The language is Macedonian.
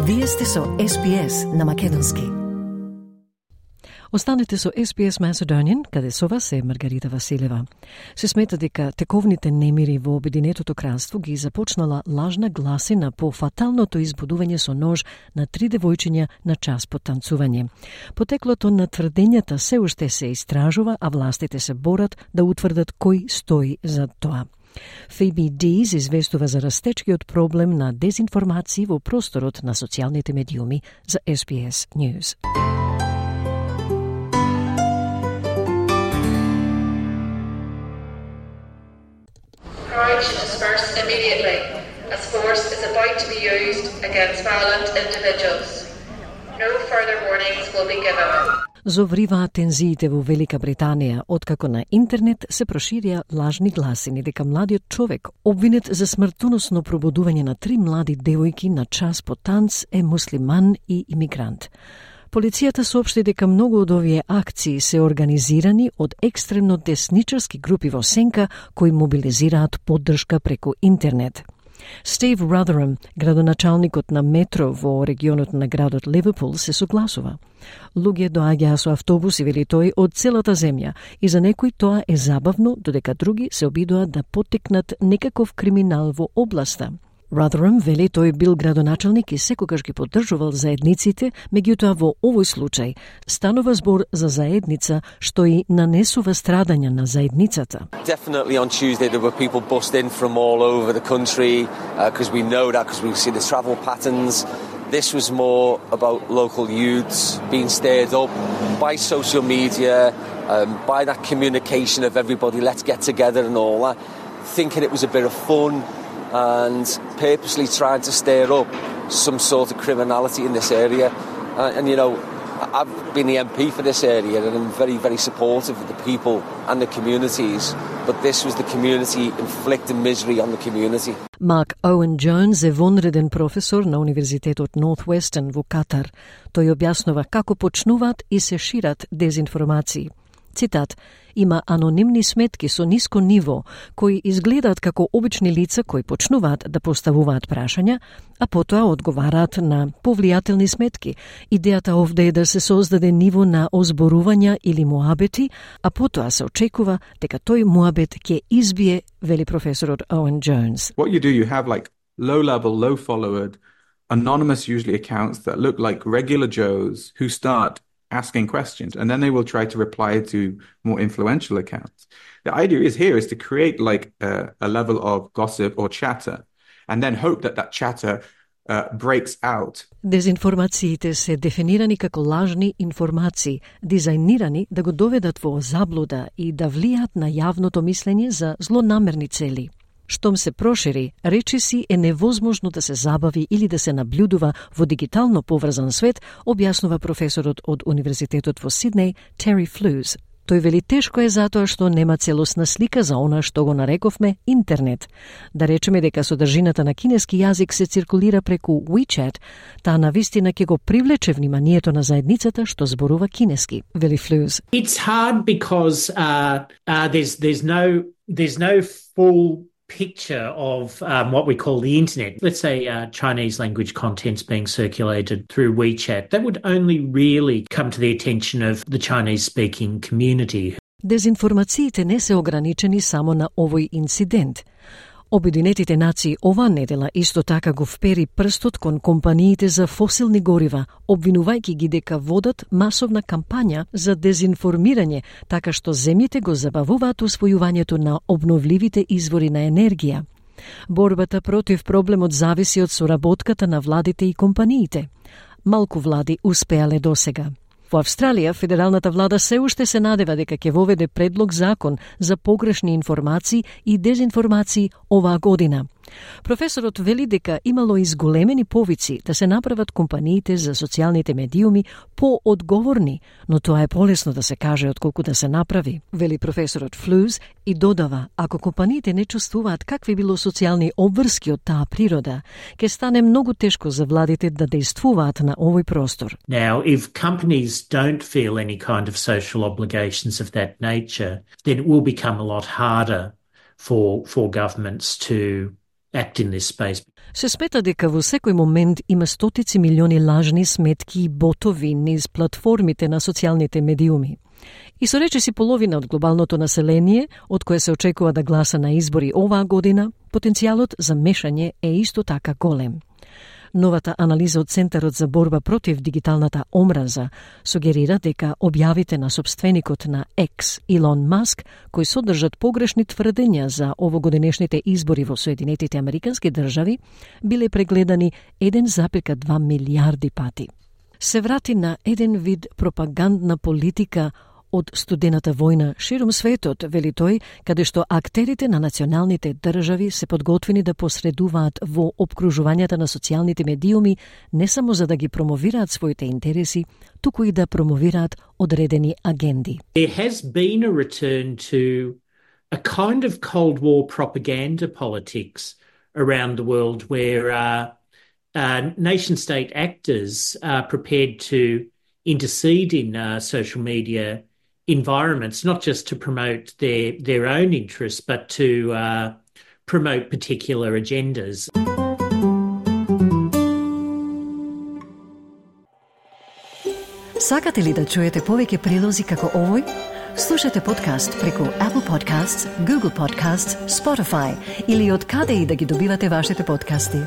Вие сте со SPS на македонски. Останете со SPS Macedonian, каде со вас е Маргарита Василева. Се смета дека тековните немири во Обединетото кралство ги започнала лажна гласина по фаталното избудување со нож на 3 девојчиња на час по танцување. Потеклото на тврдењата се уште се истражува, а властите се борат да утврдат кој стои за тоа. Phoebe Dees известува за растечкиот проблем на дезинформации во просторот на социјалните медиуми за SBS News. Courage disperse immediately, as force is about to be used against violent individuals. No further warnings will be given. Зовриваат тензиите во Велика Британија, откако на интернет се проширија лажни гласини дека младиот човек, обвинет за смртоносно пробудување на 3 млади девојки на час по танц, е муслиман и имигрант. Полицијата соопшти дека многу од овие акции се организирани од екстремно десничарски групи во сенка кои мобилизираат поддршка преку интернет. Стив Ротherham, градоначалникот на метро во регионот на градот Ливерпул, се согласува. Луѓе доаѓаа со автобуси, вели тој, од целата земја и за некои тоа е забавно, додека други се обидуваат да потекнат некаков криминал во областа. Rotherham вели тој бил градоначалник и секогаш ги поддржувал заедниците, меѓутоа во овој случај станува збор за заедница што и нанесува страдања на заедницата. Definitely on Tuesday there were people bussed in from all over the country because we know that because we see the travel patterns. This was more about local youths being stirred up by social media, by that communication of everybody, let's get together and all that, thinking it was a bit of fun and purposely trying to stir up some sort of criminality in this area. And you know, I've been the MP for this area and I'm very, very supportive of the people and the communities, but this was the community inflicting misery on the community. Mark Owen Jones е вонреден професор на Универзитетот Northwestern во Катар. Тој објаснува како почнуваат и се шират дезинформации. Цитат: има анонимни сметки со ниско ниво, кои изгледаат како обични лица кои почнуваат да поставуваат прашања, а потоа одговараат на повлијателни сметки. Идејата овде е да се создаде ниво на озборувања или муабети, а потоа се очекува дека тој муабет ќе избие, вели професорот Owen Jones. What you do, you have like low-level, low-followed, anonymous usually accounts that look like regular Joes who start asking questions, and then they will try to reply to more influential accounts. The idea is to create like a level of gossip or chatter, and then hope that that chatter breaks out. Дезинформациите се дефинирани како лажни информации, дизајнирани да го доведат во заблуда и да влијаат на јавното мислење за злонамерни цели. Штом се прошири, речиси е невозможно да се забави или да се наблюдува во дигитално поврзан свет, објаснува професорот од Универзитетот во Сиднеј, Terry Flews. Тој вели тешко е затоа што нема целосна слика за она што го нарековме интернет. Да речеме дека содржината на кинески јазик се циркулира преку WeChat, таа навистина ќе го привлече вниманието на заедницата што зборува кинески, вели Flews. It's hard because there's no full picture of what we call the internet. Let's say Chinese language content's being circulated through WeChat. That would only really come to the attention of the Chinese-speaking community. Дезинформациите не се ограничени само на овој инцидент. Обединетите нации оваа недела исто така го впери прстот кон компаниите за фосилни горива, обвинувајќи ги дека водат масовна кампања за дезинформирање, така што земјите го забавуваат усвојувањето на обновливите извори на енергија. Борбата против проблемот зависи од соработката на владите и компаниите. Малку влади успеале досега. Во Австралија, федералната влада се уште се надева дека ќе воведе предлог закон за погрешни информации и дезинформации оваа година. Професорот вели дека имало изголемени повици да се направат компаниите за социјалните медиуми поодговорни, но тоа е полесно да се каже отколку да се направи, вели професорот Flews и додава, ако компаниите не чувствуваат какви било социјални обврски од таа природа, ќе стане многу тешко за владите да действуваат на овој простор. Now, if companies don't feel any kind of social obligations of that nature, then it will become a lot harder for governments to act in this space. Се смета дека во секој момент има стотици милиони лажни сметки и ботови низ платформите на социјалните медиуми. И со речиси половина од глобалното население, од кое се очекува да гласа на избори оваа година, потенцијалот за мешање е исто така голем. Новата анализа од Центарот за борба против дигиталната омраза сугерира дека објавите на сопственикот на X, Илон Маск, кои содржат погрешни тврдења за овогодинешните избори во Соединетите Американски држави, биле прегледани 1,2 милиарди пати. Се врати на еден вид пропагандна политика од студената војна ширум светот, вели тој, каде што актерите на националните држави се подготвени да посредуваат во опкружувањата на социјалните медиуми не само за да ги промовираат своите интереси, туку и да промовираат одредени агенди. There has been a return to a kind of Cold War propaganda politics around the world where nation-state actors are prepared to intercede in social media environments, not just to promote their own interests, but to promote particular agendas. Сакате ли да чуете повеќе прилози како овој? Слушате подкаст преку Apple Podcasts, Google Podcasts, Spotify или од каде и да ги добивате вашите подкасти.